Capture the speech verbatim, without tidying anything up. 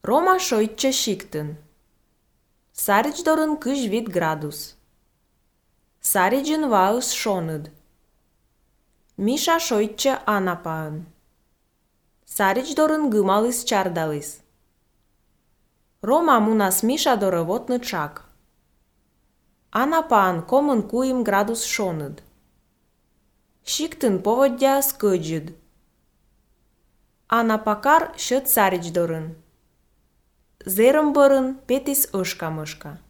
Roma šoitče šiktyn. Sarich doryn kyž vit gradus. Saricin vaus šonyd. Misha šoitče anapaan. Sarich doryn gymalys čardalys. Roma munas Misha dorowotny czak. Anapaan komyn kuim gradus šonyd. Šiktyn povodja skydjyd. Anapakar şıt sarich doryn. Zerym bărın petis ышка-мышка.